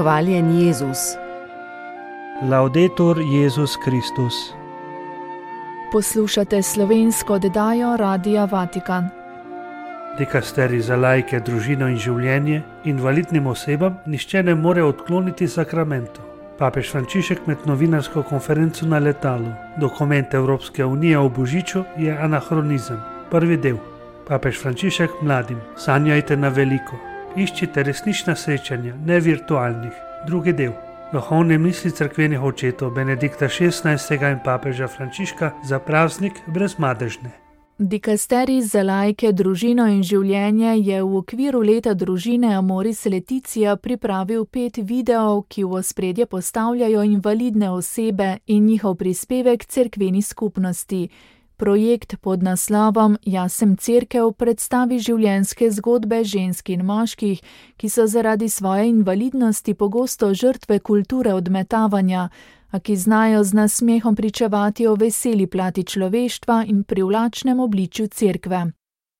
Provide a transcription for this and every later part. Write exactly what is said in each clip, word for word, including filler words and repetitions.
Hvaljen Jezus. Laudetur Jezus Kristus. Poslušate slovensko oddajo Radia Vatikan. Dikasterij za laike, družino in življenje invalidnim osebam nihče ne more odkloniti sakramentov. Papež Frančišek med novinarsko konferenco na letalu. Dokument Evropske unije o božiču je anahronizem. Prvi del. Papež Frančišek mladim. Sanjajte na veliko. Iščite resnična srečanja, ne virtualnih. Drugi del. Duhovne misli cerkvenih očetov Benedikta šestnajstega in papeža Frančiška za praznik brezmadežne. Dikasterij za laike, družino in življenje je v okviru leta družine Amoris Laetitia pripravil pet videov, ki v ospredje postavljajo invalidne osebe in njihov prispevek cerkveni skupnosti. Projekt pod naslovom Jaz sem cerkev predstavi življenjske zgodbe žensk in moških, ki so zaradi svoje invalidnosti pogosto žrtve kulture odmetavanja, a ki znajo z nasmehom pričevati o veseli plati človeštva in privlačnem obličju cerkve.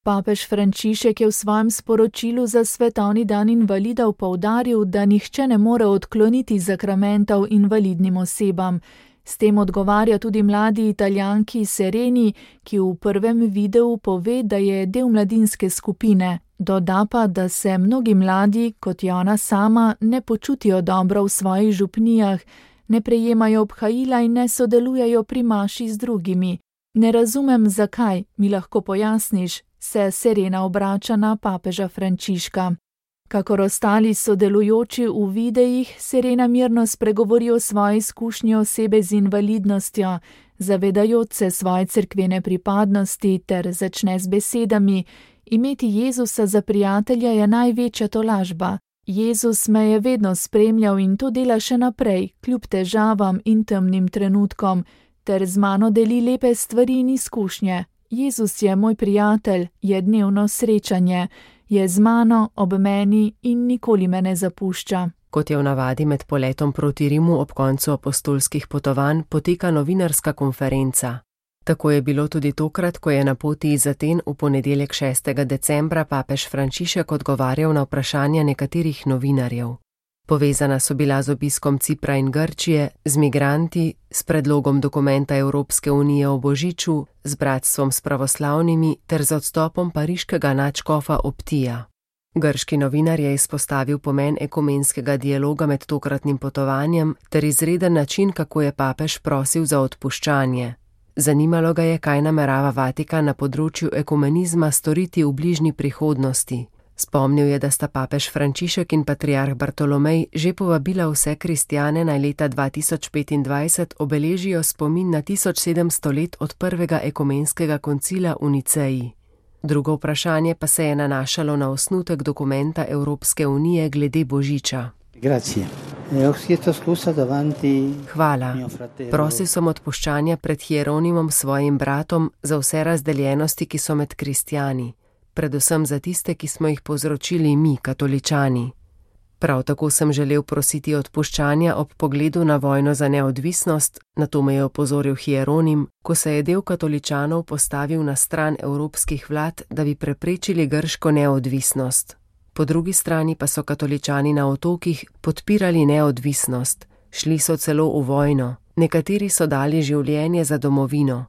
Papež Frančišek je v svojem sporočilu za svetovni dan invalidov poudaril, da nihče ne more odkloniti sakramentov invalidnim osebam. S tem odgovarja tudi mladi Italijanki Sereni, ki v prvem videu pove, da je del mladinske skupine. Doda pa, da se mnogi mladi, kot je ona sama, ne počutijo dobro v svojih župnijah, ne prejemajo obhajila in ne sodelujejo pri maši z drugimi. Ne razumem, zakaj, mi lahko pojasniš, se Serena obrača na papeža Frančiška. Kakor ostali sodelujoči v videih, Serena mirno spregovori o svoji izkušnji osebe z invalidnostjo, zavedajoč se svoje cerkvene pripadnosti ter začne z besedami: imeti Jezusa za prijatelja je največja tolažba. Jezus me je vedno spremljal in to dela še naprej, kljub težavam in temnim trenutkom, ter z mano deli lepe stvari in izkušnje. Jezus je moj prijatelj, je dnevno srečanje, je z mano, ob meni in nikoli me ne zapušča. Kot je v navadi med poletom proti Rimu ob koncu apostolskih potovanj, poteka novinarska konferenca. Tako je bilo tudi tokrat, ko je na poti iz Aten v ponedeljek šestega decembra papež Frančišek odgovarjal na vprašanja nekaterih novinarjev. Povezana so bila z obiskom Cipra in Grčije, z migranti, s predlogom dokumenta Evropske unije o božiču, z bratstvom s pravoslavnimi ter z odstopom pariškega nadškofa Optija. Grški novinar je izpostavil pomen ekumenskega dialoga med tokratnim potovanjem ter izreden način, kako je papež prosil za odpuščanje. Zanimalo ga je, kaj namerava Vatikan na področju ekumenizma storiti v bližnji prihodnosti. Spomnil je, da sta papež Frančišek in patriarh Bartolomej že povabila vse kristjane, naj leta dva tisoč petindvajset obeležijo spomin na tisoč sedemsto let od prvega ekumenskega koncila v Niceji. Drugo vprašanje pa se je nanašalo na osnutek dokumenta Evropske unije glede božiča. Hvala. Prosil sem odpuščanja pred Hieronimom, svojim bratom, za vse razdeljenosti, ki so med kristjani, predvsem za tiste, ki smo jih povzročili mi, katoličani. Prav tako sem želel prositi odpuščanja ob pogledu na vojno za neodvisnost, na to me je opozoril Hieronim, ko se je del katoličanov postavil na stran evropskih vlad, da bi preprečili grško neodvisnost. Po drugi strani pa so katoličani na otokih podpirali neodvisnost, šli so celo v vojno, nekateri so dali življenje za domovino.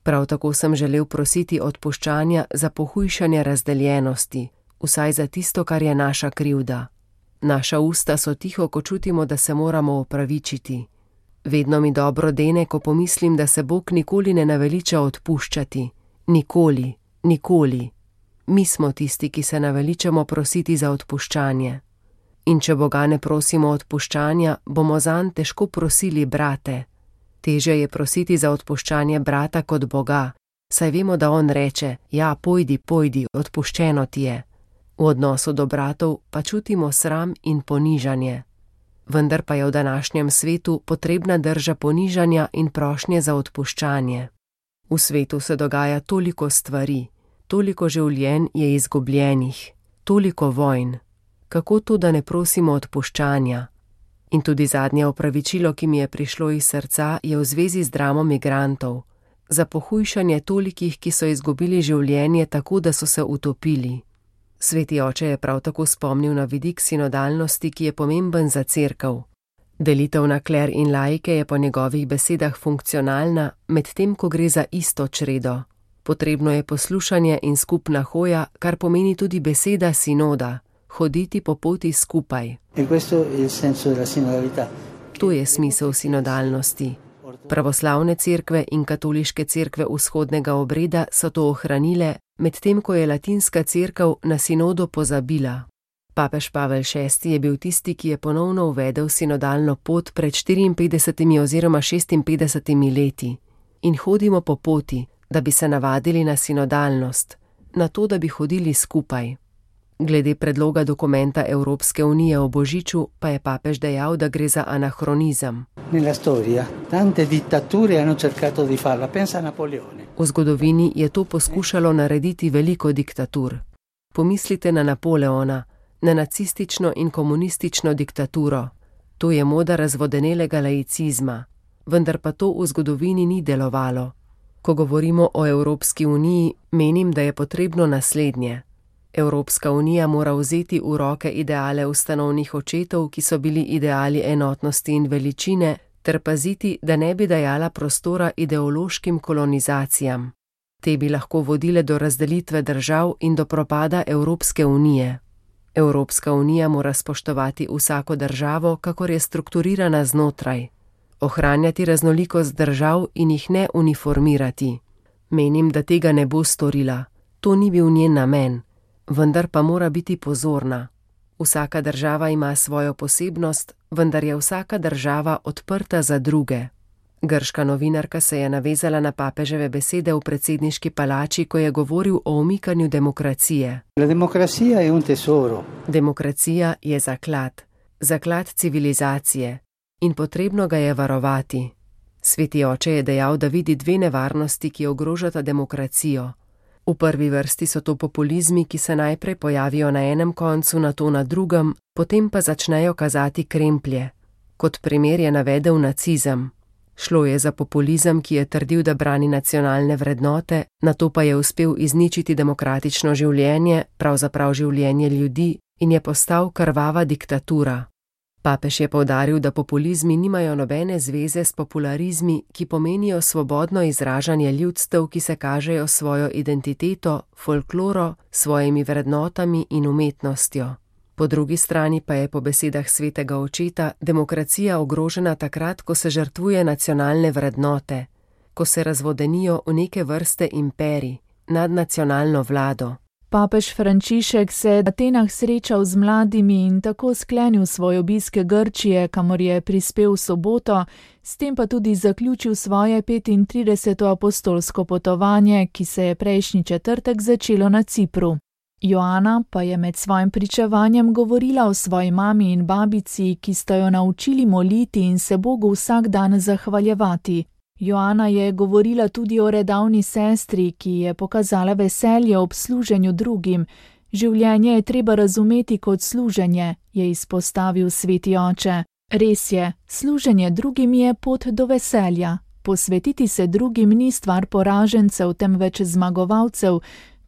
Prav tako sem želel prositi odpuščanja za pohujšanje razdeljenosti, vsaj za tisto, kar je naša krivda. Naša usta so tiho, ko čutimo, da se moramo opravičiti. Vedno mi dobro dene, ko pomislim, da se Bog nikoli ne naveliča odpuščati. Nikoli, nikoli. Mi smo tisti, ki se naveličamo prositi za odpuščanje. In če Boga ne prosimo odpuščanja, bomo zanj težko prosili brate. Teže je prositi za odpuščanje brata kot Boga, saj vemo, da on reče: ja, pojdi, pojdi, odpuščeno ti je. V odnosu do bratov pa čutimo sram in ponižanje. Vendar pa je v današnjem svetu potrebna drža ponižanja in prošnje za odpuščanje. V svetu se dogaja toliko stvari, toliko življenj je izgubljenih, toliko vojn. Kako to, da ne prosimo odpuščanja? In tudi zadnje opravičilo, ki mi je prišlo iz srca, je v zvezi z dramo migrantov. Za pohujšanje tolikih, ki so izgubili življenje tako, da so se utopili. Sveti oče je prav tako spomnil na vidik sinodalnosti, ki je pomemben za cerkev. Delitev na kler in laike je po njegovih besedah funkcionalna, medtem ko gre za isto čredo. Potrebno je poslušanje in skupna hoja, kar pomeni tudi beseda sinoda, hoditi po poti skupaj. To je smisel sinodalnosti. Pravoslavne cerkve in katoliške cerkve vzhodnega obreda so to ohranile, medtem ko je latinska cerkev na sinodo pozabila. Papež Pavel šesti je bil tisti, ki je ponovno uvedel sinodalno pot pred štiriinpetdesetimi oziroma šestinpetdesetimi leti. In hodimo po poti, da bi se navadili na sinodalnost, na to, da bi hodili skupaj. Glede predloga dokumenta Evropske unije o Božiču pa je papež dejal, da gre za anahronizem. V zgodovini je to poskušalo narediti veliko diktatur. Pomislite na Napoleona, na nacistično in komunistično diktaturo. To je moda razvodenelega laicizma, vendar pa to v zgodovini ni delovalo. Ko govorimo o Evropski uniji, menim, da je potrebno naslednje. Evropska unija mora vzeti v roke ideale ustanovnih očetov, ki so bili ideali enotnosti in veličine, ter paziti, da ne bi dajala prostora ideološkim kolonizacijam. Te bi lahko vodile do razdelitve držav in do propada Evropske unije. Evropska unija mora spoštovati vsako državo, kakor je strukturirana znotraj. Ohranjati raznolikost držav in jih ne uniformirati. Menim, da tega ne bo storila. To ni bil njen namen. Vendar pa mora biti pozorna. Vsaka država ima svojo posebnost, vendar je vsaka država odprta za druge. Grška novinarka se je navezala na papeževe besede v predsedniški palači, ko je govoril o umikanju demokracije. Demokracija je zaklad, zaklad civilizacije in potrebno ga je varovati. Sveti oče je dejal, da vidi dve nevarnosti, ki ogrožata demokracijo. V prvi vrsti so to populizmi, ki se najprej pojavijo na enem koncu, nato na drugem, potem pa začnejo kazati kremplje. Kot primer je navedel nacizem. Šlo je za populizem, ki je trdil, da brani nacionalne vrednote, nato pa je uspel izničiti demokratično življenje, pravzaprav življenje ljudi, in je postal krvava diktatura. Papež je poudaril, da populizmi nimajo nobene zveze s popularizmi, ki pomenijo svobodno izražanje ljudstev, ki se kažejo svojo identiteto, folkloro, svojimi vrednotami in umetnostjo. Po drugi strani pa je po besedah svetega očeta demokracija ogrožena takrat, ko se žrtvuje nacionalne vrednote, ko se razvodenijo v neke vrste imperij, nadnacionalno vlado. Papež Frančišek se je v Atenah srečal z mladimi in tako sklenil svoj obisk Grčije, kamor je prispel v soboto, s tem pa tudi zaključil svoje petintrideseto apostolsko potovanje, ki se je prejšnji četrtek začelo na Cipru. Joana pa je med svojim pričevanjem govorila o svoji mami in babici, ki sta jo naučili moliti in se Bogu vsak dan zahvaljevati. Joana je govorila tudi o redavni sestri, ki je pokazala veselje ob služenju drugim. Življenje je treba razumeti kot služenje, je izpostavil sveti oče. Res je, služenje drugim je pot do veselja. Posvetiti se drugim ni stvar poražencev, temveč zmagovalcev.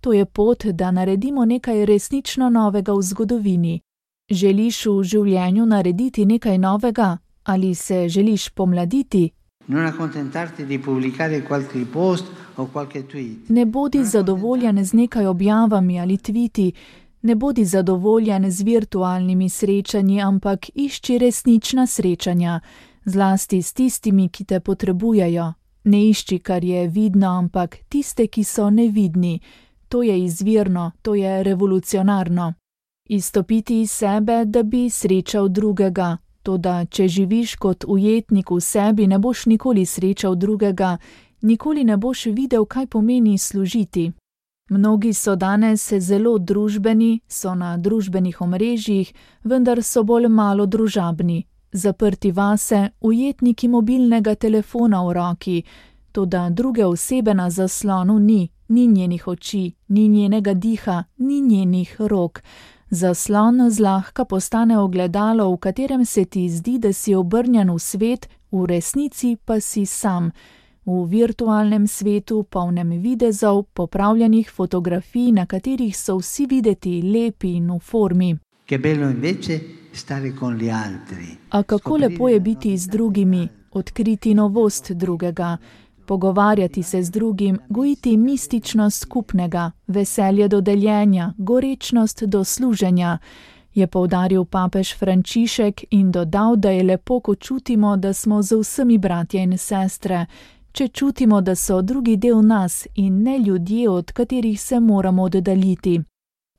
To je pot, da naredimo nekaj resnično novega v zgodovini. Želiš v življenju narediti nekaj novega? Ali se želiš pomladiti? Ne bodi zadovoljen z nekaj objavami ali tviti, ne bodi zadovoljen z virtualnimi srečanji, ampak išči resnična srečanja, zlasti s tistimi, ki te potrebujejo. Ne išči, kar je vidno, ampak tiste, ki so nevidni. To je izvirno, to je revolucionarno. Izstopiti iz sebe, da bi srečal drugega. Toda, če živiš kot ujetnik v sebi, ne boš nikoli srečal drugega, nikoli ne boš videl, kaj pomeni služiti. Mnogi so danes zelo družbeni, so na družbenih omrežjih, vendar so bolj malo družabni. Zaprti vase, ujetniki mobilnega telefona v roki, toda druge osebe na zaslonu ni, ni njenih oči, ni njenega diha, ni njenih rok. Zaslon zlahka postane ogledalo, v katerem se ti zdi, da si obrnjen v svet, v resnici pa si sam. v virtualnem svetu, polnem videzov, popravljenih fotografij, na katerih so vsi videti lepi in v formi. A kako lepo je biti z drugimi, odkriti novost drugega, pogovarjati se z drugim, gojiti mističnost skupnega, veselje do deljenja, gorečnost do služenja, je poudaril papež Frančišek in dodal, da je lepo, ko čutimo, da smo z vsemi bratje in sestre, če čutimo, da so drugi del nas in ne ljudje, od katerih se moramo oddaljiti.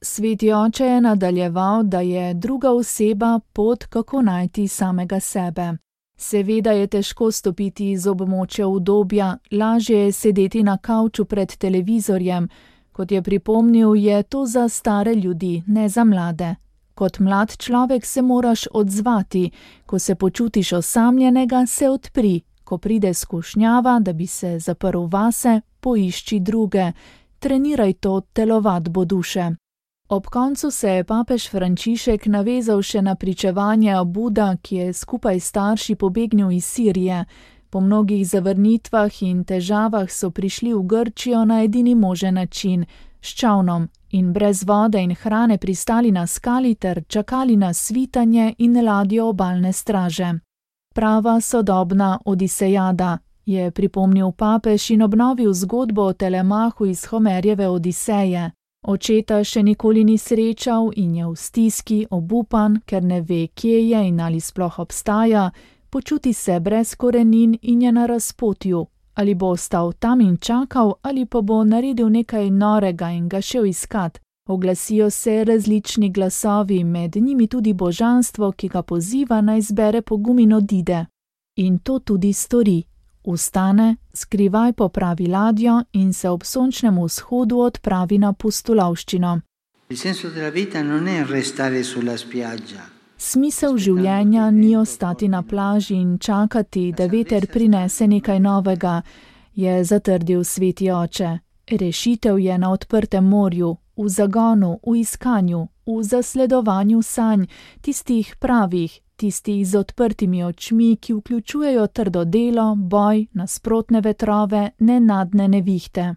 Sveti oče je nadaljeval, da je druga oseba pot, kako najti samega sebe. Seveda je težko stopiti iz območja udobja, lažje je sedeti na kavču pred televizorjem. Kot je pripomnil, je to za stare ljudi, ne za mlade. Kot mlad človek se moraš odzvati, ko se počutiš osamljenega, se odpri, ko pride skušnjava, da bi se zaprl vase, poišči druge, treniraj to telovadbo duše. Ob koncu se je papež Frančišek navezal še na pričevanje Abuda, ki je skupaj s starši pobegnil iz Sirije. Po mnogih zavrnitvah in težavah so prišli v Grčijo na edini možen način, s čavnom, in brez vode in hrane pristali na skali ter čakali na svitanje in ladjo obalne straže. Prava sodobna odisejada, je pripomnil papež in obnovil zgodbo o Telemahu iz Homerjeve Odiseje. Očeta še nikoli ni srečal in je v stiski, obupan, ker ne ve, kje je in ali sploh obstaja, počuti se brez korenin in je na razpotju. Ali bo ostal tam in čakal, ali pa bo naredil nekaj norega in ga šel iskat. Oglasijo se različni glasovi, med njimi tudi božanstvo, ki ga poziva naj zbere pogum in odide. In to tudi stori. Vstane, skrivaj popravi ladjo in se ob sončnem vzhodu odpravi na pustolovščino. Smisel življenja ni ostati na plaži in čakati, da veter prinese nekaj novega, je zatrdil sveti oče. Rešitev je na odprtem morju, v zagonu, v iskanju, v zasledovanju sanj, tistih pravih, tistih z odprtimi očmi, ki vključujejo trdo delo, boj, nasprotne vetrove, nenadne nevihte.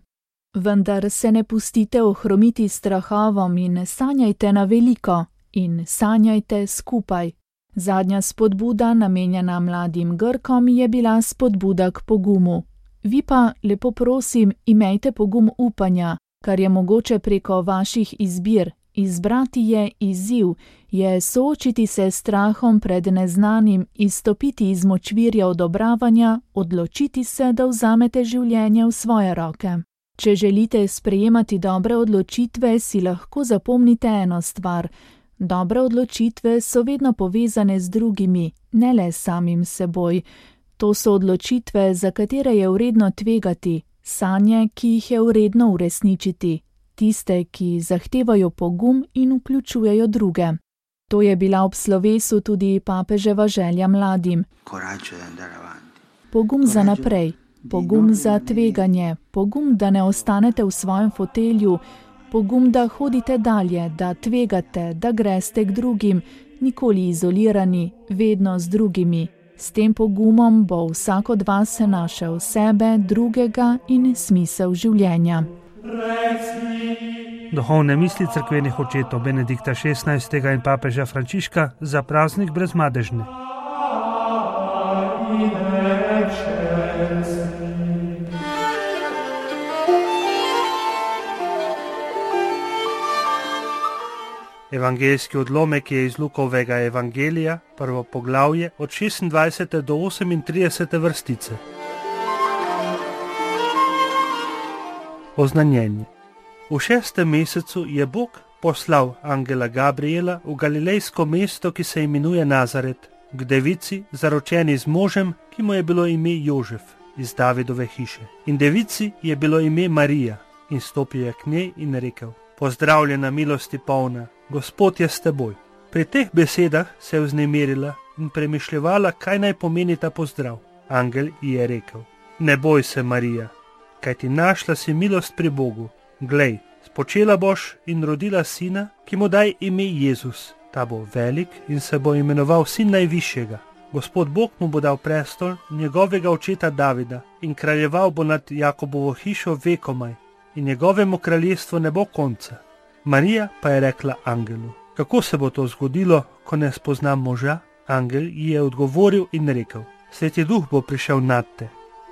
Vendar se ne pustite ohromiti strahovom in sanjajte na veliko in sanjajte skupaj. Zadnja spodbuda, namenjena mladim Grkom, je bila spodbuda k pogumu. Vi pa, lepo prosim, imejte pogum upanja, kar je mogoče preko vaših izbir. Izbrati je izziv, je soočiti se s strahom pred neznanim, izstopiti iz močvirja odobravanja, odločiti se, da vzamete življenje v svoje roke. Če želite sprejemati dobre odločitve, si lahko zapomnite eno stvar. Dobre odločitve so vedno povezane z drugimi, ne le samim seboj. To so odločitve, za katere je vredno tvegati, sanje, ki jih je vredno uresničiti. Tiste, ki zahtevajo pogum in vključujejo druge. To je bila ob slovesu tudi papeževa želja mladim. Pogum za naprej, pogum za tveganje, pogum, da ne ostanete v svojem fotelju, pogum, da hodite dalje, da tvegate, da greste k drugim, nikoli izolirani, vedno z drugimi. S tem pogumom bo vsak od vas našel sebe, drugega in smisel življenja. Duhovne misli cerkvenih očetov Benedikta šestnajstega in papeža Frančiška za praznik Brezmadežne. Evangeljski odlomek je iz Lukovega evangelija, prvo poglavje, od šestindvajsete do osemintridesete vrstice. Oznanjenje. V šestem mesecu je Bog poslal angela Gabriela v galilejsko mesto, ki se imenuje Nazaret, k devici, zaročeni z možem, ki mu je bilo ime Jožef, iz Davidove hiše. In devici je bilo ime Marija, in stopil je k njej in rekel: Pozdravljena, milosti polna, Gospod je s teboj. Pri teh besedah se je vznemirila in premišljevala, kaj naj pomeni ta pozdrav. Angel ji je rekel: Ne boj se, Marija, kajti našla si milost pri Bogu. Glej, spočela boš in rodila sina, ki mu daj ime Jezus. Ta bo velik in se bo imenoval sin najvišjega. Gospod Bog mu bo dal prestol njegovega očeta Davida in kraljeval bo nad Jakobovo hišo vekomaj in njegovemu kraljestvu ne bo konca. Marija pa je rekla angelu: kako se bo to zgodilo, ko ne spoznam moža? Angel ji je odgovoril in rekel: Sveti Duh bo prišel nad te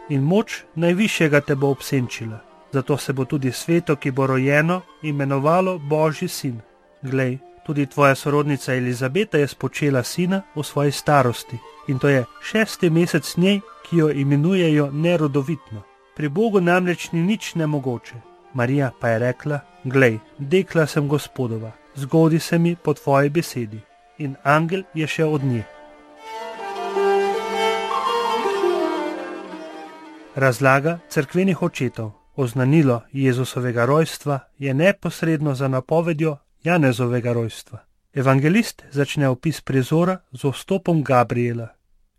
in moč najvišjega te bo obsenčila. Zato se bo tudi sveto, ki bo rojeno, imenovalo Božji sin. Glej, tudi tvoja sorodnica Elizabeta je spočela sina v svoji starosti in to je šesti mesec njej, ki jo imenujejo nerodovitno. Pri Bogu namreč ni nič nemogoče. Marija pa je rekla: glej, dekla sem Gospodova, zgodi se mi po tvoji besedi. In angel je šel od nje. Razlaga cerkvenih očetov. Oznanilo Jezusovega rojstva je neposredno za napovedjo Janezovega rojstva. Evangelist začne opis prizora z vstopom Gabriela,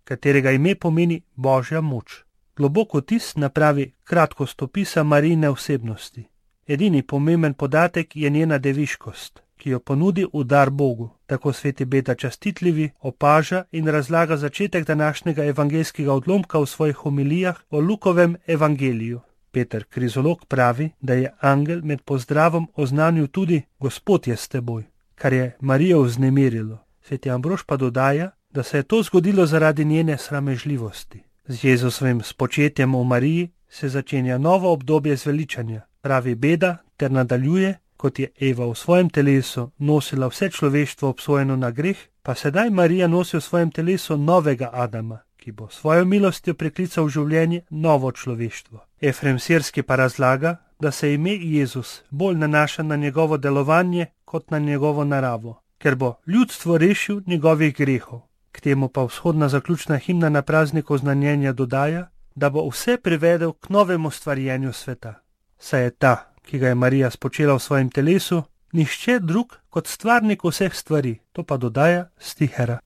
katerega ime pomeni Božja moč. Globok vtis napravi kratkost opisa Marijine osebnosti. Edini pomemben podatek je njena deviškost, ki jo ponudi v dar Bogu. Tako sveti Beda Častitljivi opaža in razlaga začetek današnjega evangelskega odlomka v svojih homilijah o Lukovem evangeliju. Peter Krizolog pravi, da je angel med pozdravom oznanil tudi: Gospod je s teboj, kar je Marijo vznemirilo. Sveti Ambrož pa dodaja, da se je to zgodilo zaradi njene sramežljivosti. Z Jezusovim spočetjem v Mariji se začenja novo obdobje zveličanja, pravi Beda, ter nadaljuje: kot je Eva v svojem telesu nosila vse človeštvo obsojeno na greh, pa sedaj Marija nosi v svojem telesu novega Adama, ki bo svojo milostjo priklical v življenje novo človeštvo. Efrem Sirski pa razlaga, da se ime Jezus bolj nanaša na njegovo delovanje kot na njegovo naravo, ker bo ljudstvo rešil njegovih grehov. K temu pa vzhodna zaključna himna na prazniku znanjenja dodaja, da bo vse privedel k novemu stvarjenju sveta. Saj je ta, ki ga je Marija spočela v svojem telesu, nihče drug kot stvarnik vseh stvari, to pa dodaja Stihera.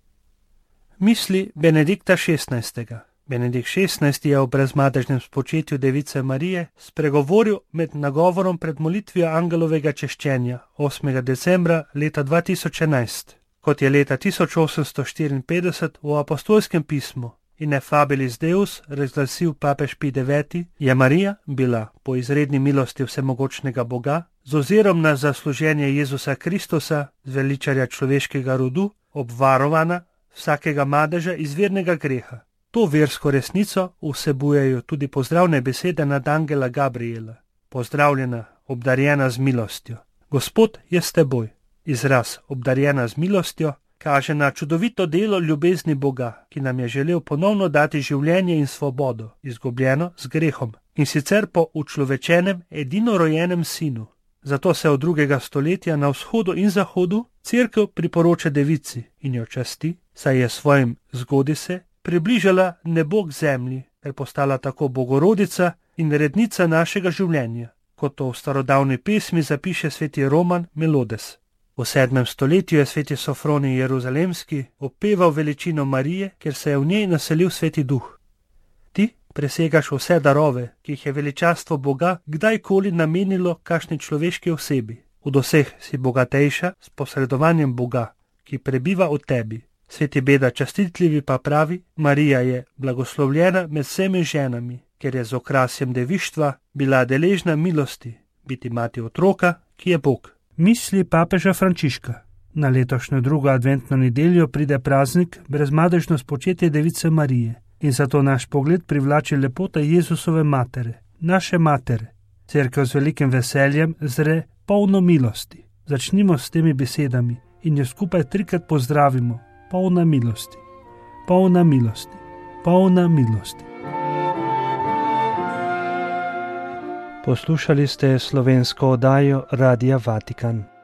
Misli Benedikta šestnajstega. Benedikt šestnajsti je o brezmadežnem spočetju device Marije spregovoril med nagovorom pred molitvijo angelovega češčenja osmega decembra leta dva tisoč enajst. Kot je leta tisoč osemsto štiriinpetdeset v apostolskem pismu Ineffabilis Deus razglasil papež Pij deveti, je Marija bila po izredni milosti vsemogočnega Boga z ozirom na zasluženje Jezusa Kristusa, zveličarja človeškega rodu, obvarovana vsakega madeža izvirnega greha. To versko resnico vsebujejo tudi pozdravne besede nad angela Gabriela. Pozdravljena, obdarjena z milostjo. Gospod je s teboj. Izraz obdarjena z milostjo kaže na čudovito delo ljubezni Boga, ki nam je želel ponovno dati življenje in svobodo, izgubljeno z grehom, in sicer po učlovečenem edinorojenem sinu. Zato se od drugega stoletja na vzhodu in zahodu cerkev priporoča devici in jo časti, saj je svojim zgodi se približala nebo k zemlji, ker postala tako bogorodica in rednica našega življenja, kot to v starodavni pesmi zapiše sveti Roman Melodes. V sedmem stoletju je sveti Sofronij Jeruzalemski opeval veličino Marije, ker se je v njej naselil sveti duh. Ti presegaš vse darove, ki jih je veličastvo Boga kdajkoli namenilo kakšni človeški osebi. Od vseh si bogatejša s posredovanjem Boga, ki prebiva v tebi. Sveti Beda Častitljivi pa pravi: Marija je blagoslovljena med vsemi ženami, ker je z okrasjem devištva bila deležna milosti, biti mati otroka, ki je Bog. Misli papeža Frančiška. Na letošnjo drugo adventno nedeljo pride praznik brezmadežno spočetje device Marije in zato naš pogled privlači lepota Jezusove matere, naše matere. Cerkev z velikim veseljem zre polno milosti. Začnimo s temi besedami in jo skupaj trikrat pozdravimo. Polna milosti, polna milosti, polna milosti. Poslušali ste slovensko oddajo Radia Vatikan.